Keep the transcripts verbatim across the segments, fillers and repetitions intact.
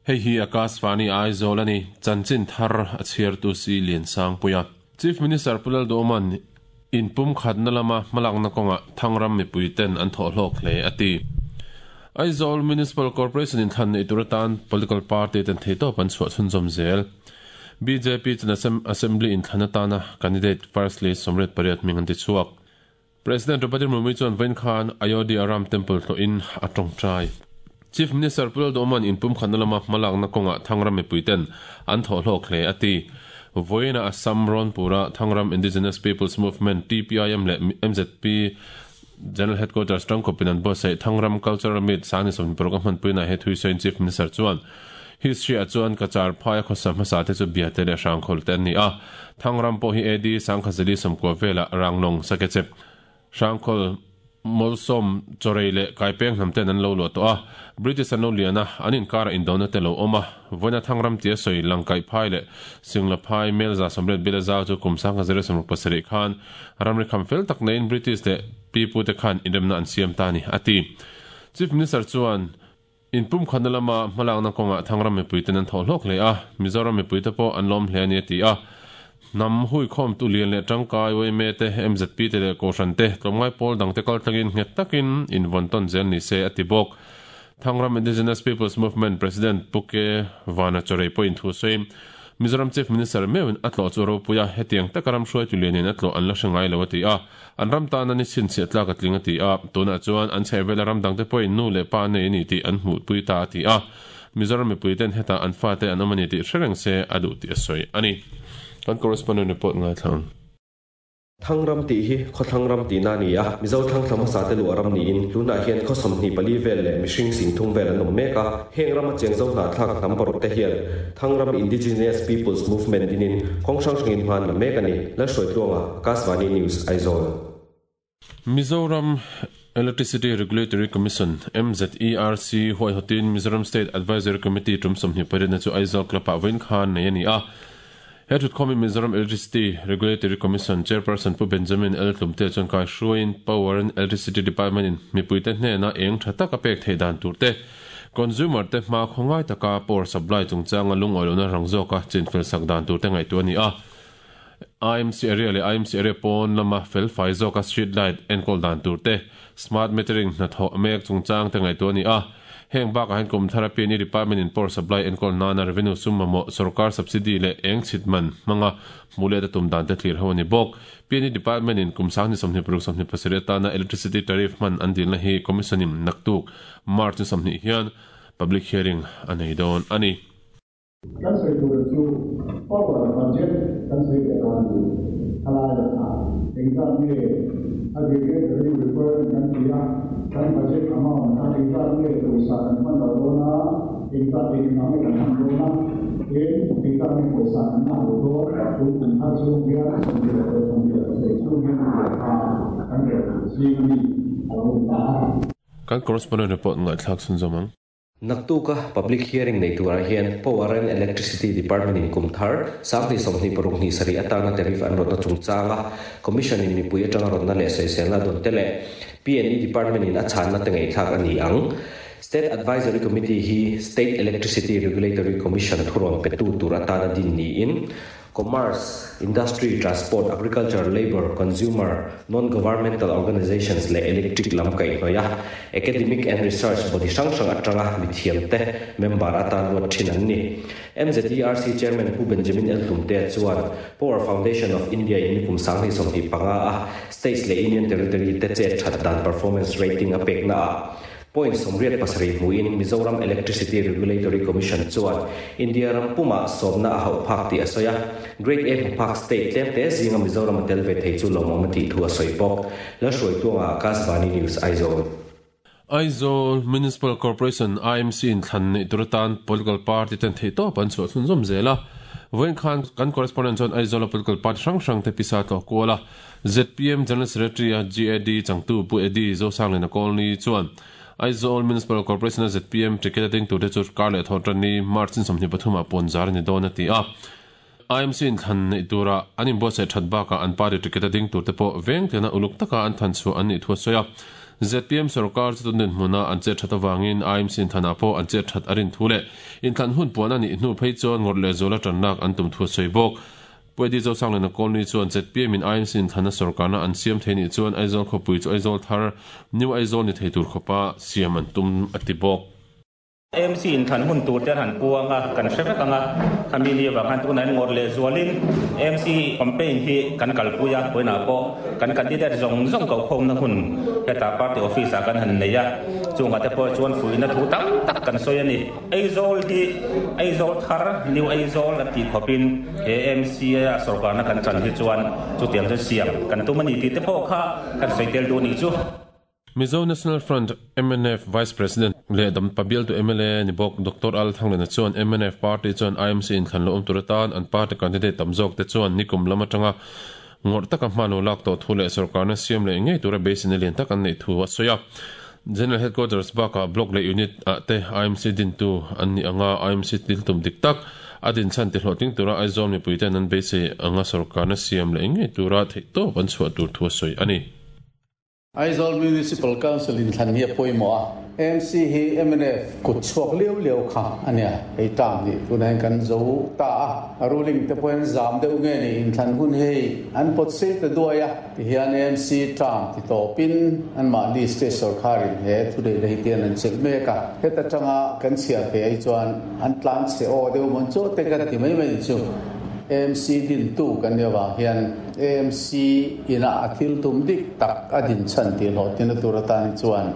Hei hi Akashvani Aizawl ani chanchin thar a chhiar tu si lian sang puia. Chief Minister Pu Lalduhoma'n in pum khatna lama hmalakna kawnga Thangram mipui ten an thawh hlawk hle a ti. Aizawl Municipal Corporation in thlan nei tur atan political party ten theitawp an chhuah chhunzawm zel. B J P chuan Assembly in thlan atana candidate first list sawmriat pariat hming an ti chhuak. President Draupadi Murmu chuan vawiin khan Ayodhya Ram Temple tlawhin a tawngtai. Chief Minister Pu Lalduhoma'n in pum khatna lama hmalakna kawnga Thangram mipui ten an thawh hlawk hle a ti. Vawiina Assam Rawnpura Thangram Indigenous Peoples Movement, T P I M leh M Z P General Headquarters tangkawpin an buatsaih Thangram Cultural Meet sangni sawmhnih paruk a hmanpuina he thuisawiin Chief Minister chuan history ah chuan Cachar phaia khawsa hmasa te chu Biate leh Hrangkhawl te an ni a. Thangram pawh hi A D sangkhazali sawmkua velah Ranglong Sakechep Hrangkhawl Molsom Chorei leh Kaipeng hnam ten an lo luah tawh a. British an lo lian a, an inkarah indona te lo awm a. Vawiina Thangram tia sawi Langkaih phai leh Singla phai Melza sawmriat bila zau chu kum sangha zero sawmruk pasarih khan ramri kham fel tak neiin British leh pipu te khan inremna an siam ta ni a ti. Chief Minister chuan in pum khatna lama hmalakna kawnga Thangram mipui ten an thawh hlawk hle a, Mizoram mipui te pawh an lawm hle a ni a ti a. Hnam hui khawm tu lian leh tangkai Y M A te, M Z P te leh Kohhran te, tlawmngai pawl dang te kal tlangin nghet takin invawn tawn zel ni se a ti bawk. Thangram Indigenous Peoples Movement President Pu K Vana Chorei pawhin thu sawiin Mizoram Chief Minister meuhin a tlawh chu ropui a, hetiang taka ram hruaitu lianin a tlawh an la hre ngai lo a ti a. An ram tana ni chhinchhiah tlak a tling a ti a. Tunah chuan an chhehvela ram dangte pawhin nu leh pa nei a ni tih an hmuhpui ta a ti a. Mizoram mipui ten hetah an fate an awm a ni tih hre reng se a duh tih a sawi a ni. Kan correspondent report ngaithla ang. Thangram tih hi khawthlang ram tihna a ni a, Mizo thlang thla hmasa te luah ram niin tunah hian khaw sawmhnih pali vel leh mihring sing thum vel an awm mek a. Heng rama cheng zo hnahthlak hnam paruk te hian Thangram Indigenous Peoples Movement dinin kawng hrang hrangin hma an la mek a ni. Lalhruaitluanga, Akashvani News, Aizawl. Mizoram Electricity Regulatory Commission, M Z E R C, huaihawtin Mizoram State Advisory Committee tum sawmhnih pariatna chu Aizawl Club-ah vawiin khan nei a ni a. He thutkhawmin Mizoram Electricity Regulatory Commission Chairperson Pu Benjamin L Tlumte chuan kai hruaiin Power and Electricity Department in mipuite hnena eng tha taka pek theih dan tur te, consumer te hma khawngai taka power supply chungchanga lungawi lohna rang zawka chinfel sak dan tur te ngaihtuah a ni a. I M C area leh I M C area pawn lama fel fai zawka street light enkawl dan tur te, smart metering hnathawh mek chungchang te ngaihtuah a ni a. Heng bakah hian kum thar P and E Department in power supply enkawl nana revenue sum mamawh sorkar subsidy leh eng chhit man hmanga hmuh let a tum dan te thlir ho a ni bawk. P and E Department in kum sanghnih sawmhnih paruk sawmhnih pasarih atana electricity tariff hman an dilna hi Commission in naktuk March ni sawmhnih hian public hearing a nei dawn a ni. Kan sawi tur chu power budget kan sawi leh dawn a ni. Thalai ah engzat nge aggregate revenue requirement kan ti a, kan budget amount kha engzat nge pawisa kan hman lo dawn a, engzat eng eng nge kan hman dawn a, tin engzat nge pawisa kan lak lo dawn tun kum thar chhung hian sawmhnih leh paruk sawmhnih leh pasarih chhung hian kha kan rel tur zing ami a lo ni ta a. Kan correspondent report ngaihthlak chhunzawm ang. Naktuka public hearing nei turah hian Power and Electricity Department in kum thar sanghnih sawmhnih paruk hnih sarih atana tariff an rawtna chungchanga Commission in mipui atanga rawtna leh sawiselna dawn te leh P and E Department in a chhanna te ngaihthlak a ni ang. State Advisory Committee hi State Electricity Regulatory Commission thurawn petu tur atana din niin Commerce, Industry, Transport, Agriculture, Labour, Consumer, Non-Governmental Organizations leh Electric lam kaihhnawih a Academic and Research body hrang hrang atanga mithiam te member atan ruat thin an ni. M Z E R C Chairman Pu Benjamin L Tlumte chuan Power Foundation of India in kum sanghnih sawmhnih panga a states leh Union Territory te chet that dan performance rating a pekna a point sawmriat pasarih hmuin Mizoram Electricity Regulatory Commission chuan India ram puma sawmna a hauh phak tih a sawi a. Grade A hmu phak state tlem te zinga Mizoram a tel ve thei chu lawmawm a tih thu a sawi bawk. Lalhruaitluanga, Akashvani News, Aizawl. Aizawl Municipal Corporation, I M C in thlan nei tur atan political party ten theihtawp an chhuah chhunzawm zel a. Vawiin khan kan correspondent chuan Aizawl political party hrang hrang te pisa tlawh kual a. Z P M General Secretary a G A D changtu Pu Eddie Zosanglina Colney chuan Aizawl Municipal Corporation a Z P M ticket a ding tur te chu kar leh thawh tan ni March in sawmhnih pathum ah pawn zar ni dawn a ti a. I M C in thlan nei tura an inbuatsaih that bakah an party ticket a ding tur te pawh veng tena uluk taka an than chu an nih thu a sawi a. Z P M sarkar chu tun hmuna an che that awangin I M C thana po an che that arin thule in thlan hun puan ani hnu phei chuan ngor le zola tannak an tum thu soibok Pwedi zo sang lena kolni chuan Z P M in I M C in thana sarkarna an siam theini chuan Aizawl khawpui chu Aizawl thar, New Aizawl ni thei tur khopa siam an tum ati bawk. A M C in than hun tur te han puanga kan hrevek anga khami ni wa khan tu nan ngor le zualin A M C campaign hi kan kalpuya poina po kan candidate zong zong ko khom na hun heta party office a kan han neia chunga te po chuan fuina thu tam tak kan soyani Aizawl hi Aizawl thar, New Aizawl ati khopin A M C a sarkar na kan chan hi chuan chu tiang chu siam kan tumani ti te pho kha kan soitel du ni chu. Mizo National Front M N F Vice President le dam pabial tu M L A ni bok Doctor Al Thanglena chuan M N F party chuan I M C in thlan lo um turatan an party candidate tamzok te chuan nikum lama tanga ngor taka hmano lak to thu le sarkar na siam le ngei tura base ni lian tak an nei thu a soya. General Headquarters baka block le unit a te I M C din tu an ni anga I M C til tum dik tak adin chan ti hloting tura Aizawl mi puiten an base anga sarkar na siam le ngei tura thei to ban chua tur thu soi ani. Aizawl Municipal Council in thlan hi poimo a M C hi M N F kut chuak liu liu kha ania hei tam ni tunan kan zo ta a ruling te poin zam deuh nge ni in thlan hun hei an pot se te duaya ti hian M C tam ti to pin an ma li state sarkarin he thu dei le tian an chel me ka heta tanga kan chia pe ai chuan an tlan che o deuh mon cho te ka ti mai mai chu A M C din tu kan yawa hian A M C ina athil tum dik tak adin chan ti lo tin tur tan chuan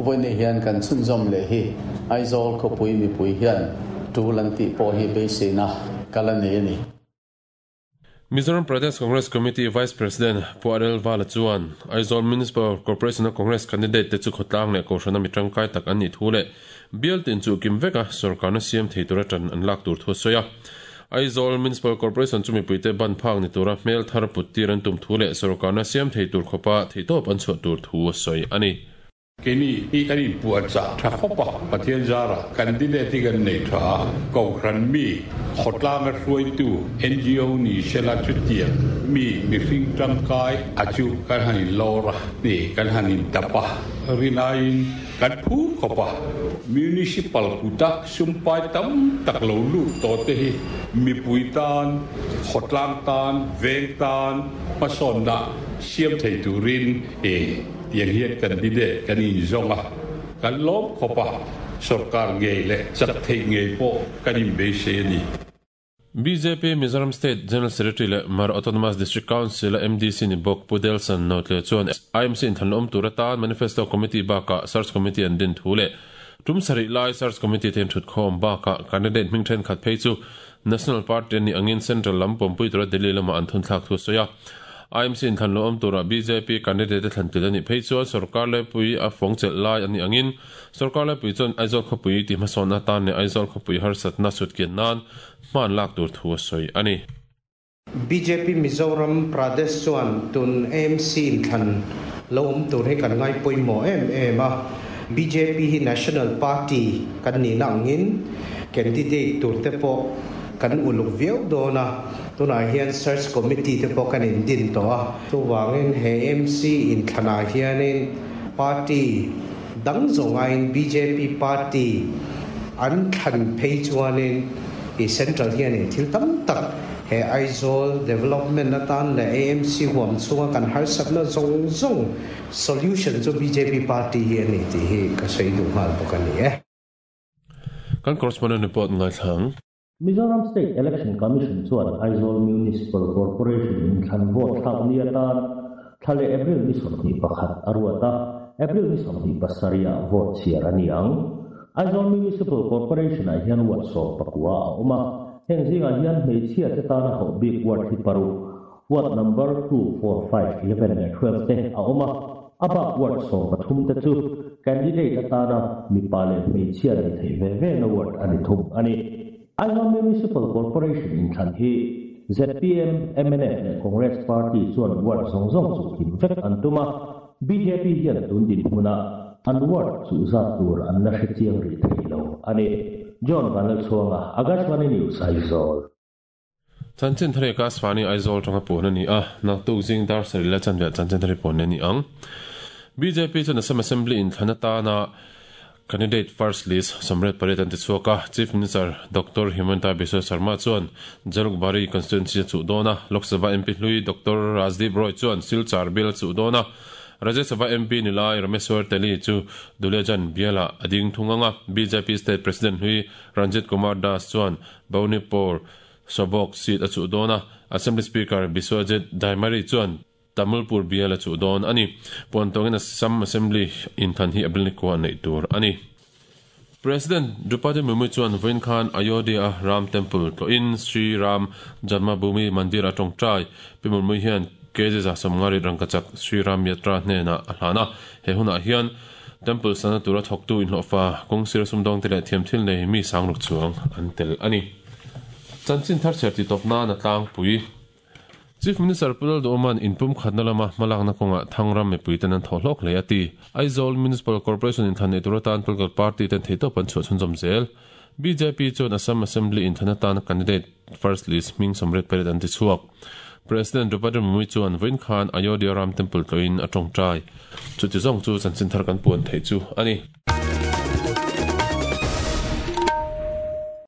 voine hian kan chun zom le hi Aizawl ko pui mi pui hian tulan ti po hi be se na kala ne ni. Mizoram Pradesh Congress Committee Vice President Puarel Vala chuan Aizawl Municipal Corporation Congress candidate te chu khotlang le kohrana mi tangkai tak an ni thu le bial tin chu kim veka sarkarna siam thei tura tan an lak tur thu soya. Aizawl Municipal Corporation chu mipuite ban phak ni tura hmel thar put tir an tum thu le sarkarna siam thei tur khopa thei top an chhuah tur thu soi ani. Kini i kan in puat cha tha khopa Pathian zara candidate kan nei tha ko ran mi khotlang a hruai tu N G O ni shela chu tiang mi mi hring tangkai achu kan han in lora ni kan han in tapa rinain kan phu khopa municipal kuta sumpai tam tak lo lu to te hi mi pui tan khotlang tan veng tan pason na siam thei turin e tiang hian candidate kan in zonga kan lom khopa sarkar ngei le chak thei ngei po kan in be se ni. B J P Mizoram State General Secretary le Mar Autonomous District Council M D C ni bok Pudelson note le chuan I M C in thanom turatan Manifesto Committee baka Search Committee an din thu le tum sari lai Search Committee ten thut khom baka candidate ming then khat phei chu National Party ni angin Central lam pompui tura Delhi lama an thun thlak thu soya. I M C in than lo om tura B J P candidate thlan til ani phei chuan sarkar le pui a fong chel lai ani angin sarkar le pui chuan Aizawl khawpui ti hmasawn atan ne Aizawl khawpui harsat na sut kian nan hman lak tur thu soi ani. B J P Mizoram Pradesh chuan tun A M C in thlan lo om tur hi kan ngai poimo em em a. B J P hi National Party kan ni na angin candidate tur te po kan uluk viau dona tuna hian search committee te pawh kan in din tawh a. Chuvangin he M C in thlanah hianin party dang zawngain B J P party an thlan phei chuanin i central hianin thil tam tak he Aizawl development atan le A M C huam chunga kan harsatna zawng zawng solution chu B J P party hi ani tih hi ka sawi duh nghal bawk ani e. Kan correspondent report ngai thlang. Mizoram State Election Commission chuan Aizawl Municipal Corporation in thlan vote thlak ni atan thlale April ni sawmhnih pakhat aruata April ni sawmhnih pasarih vote chhiar ani ang. Aizawl Municipal Corporation ah hian ward sawm pakua a awm a, heng zingah hian hmeichhia te tana hauh bik ward hi paruk, ward number two, four, five, eleven leh twelve te a awm a. A bak ward sawm pathum te chu candidate atana mipa leh hmeichhia nei thei ve ve na ward ani thum ani. Aizawl Municipal Corporation in thlan hi Z P M, M N F leh Congress Party chuan ward zawng zawng chu kim vek an tuma. B J P hian tun din hmuna an ward chu zat tur an la hre chiang ri thei lo ani. John Vanal Chuanga, Akashvani News, Aizawl. Chanchin thare ka Swani Aizawl tanga pon ani a nak tu jing dar sari la chan ve chanchin thare pon ani ang. B J P chuan Assam Assembly in thlan atana candidate first list samret pariat an ti chhuak a. Chief Minister Doctor Himanta Biswa Sarma chuan Jalukbari constituency chu dawna, Lok Sabha M P hlui Doctor Rajdeep Roy chuan Silchar bial chu dawna, Rajya Sabha M P nilai Rameswar Teli chu Duliajan biala ading thunganga. B J P State President hlui Ranjit Kumar Das chuan Baunipur Sobok seat a chu dawna, Assembly Speaker Biswajit Daimari chuan Tamulpur biala chu dawn ani. Puantawngin Assam Assembly in than hi April ni kwa nei tur ani. President Draupadi Murmu chuan vawiin khan Ayodhya Ram Temple tawhin Sri Ram Janmabhoomi Mandir a tawngtai. Pi Murmu hian K J za sawmngari rangkachak Sri Ram Yatra hnena a hlana. He hunah hian temple sana tura thawktu inhlawhfa kawngsir sumdawng te leh thiam thil nei mi sangruk chuang an tel ani. Chanchin thar chher ti tawp nan a tlangpui. Chief Minister Pu Lalduhoma'n inpum khatna lama hmalakna kawnga Thangram mipui ten an thaw hlawk hle a ti. Aizawl Municipal Corporation in thlan nei tur atan political party ten theitawp an chhuah chhunzawm zel. B J P chuan Assam Assembly in thlan atan candidate first list hming samret pariat an ti chhuak. President Draupadi Murmu chuan vawiin khan Ayodhya Ram Temple tawhin a tawngtai. Chuti zawng chu chanchin thar kan puan thei chu ani.